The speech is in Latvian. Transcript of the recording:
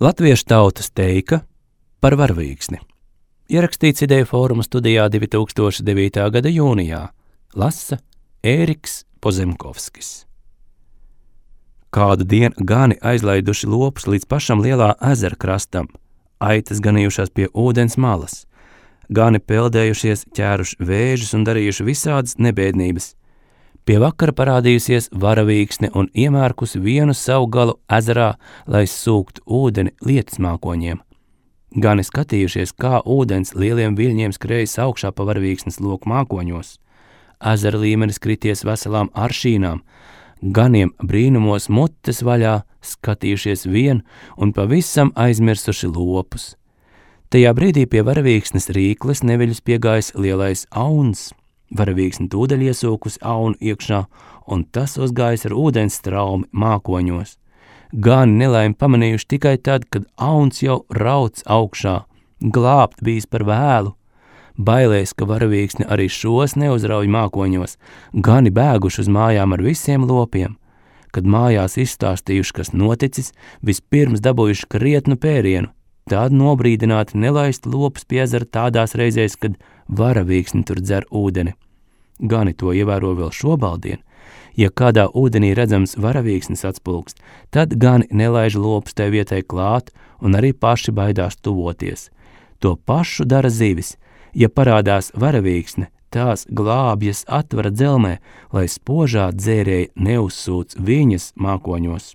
Latviešu tautas teika par varavīksni. Ierakstīts Ideju fóruma studijā 2009. gada jūnijā. Lasa Ēriks Pozemkovskis. Kādu dienu gani aizlaiduši lopus līdz pašam lielā ezera krastam, aitas ganījušās pie ūdens malas, gani peldējušies, ķēruši vēžus un darījuši visādas nebēdnības. Pie vakara parādījusies varavīksne un iemērkusi vienu savu galu ezerā, lai sūktu ūdeni lietus mākoņiem. Gani skatījušies, kā ūdens lieliem viļņiem skrējas augšā pa varavīksnes loku mākoņos. Ezera līmenis krities veselām aršīnām, ganiem brīnumos mutes vaļā, skatījušies vien un pavisam aizmirsuši lopus. Tajā brīdī pie varavīksnes rīkles neviļus piegājis lielais auns. Varavīksne tūdaļ iesūkusi aunu iekšā, un tas uzgājis ar ūdens straumi mākoņos. Gani nelaimi pamanījuši tikai tad, kad auns jau rauc augšā, glābt bijis par vēlu. Bailēs, ka varavīksne arī šos neuzrauj mākoņos, gani bēguši uz mājām ar visiem lopiem. Kad mājās izstāstījuši, kas noticis, vispirms dabūjuši krietnu pērienu, tad nobrīdināti nelaist lopus pie ezera tādās reizēs, kad varavīksne tur dzer ūdeni. Gani to ievēro vēl šobaldien. Ja kādā ūdenī redzams varavīksnes atspulkst, tad gani nelaiž lopus tai vietai klāt un arī paši baidās tuvoties. To pašu dara zivis. Ja parādās varavīksne, tās glābjas atvara dzelmē, lai spožā dzērēji neuzsūc viņas mākoņos.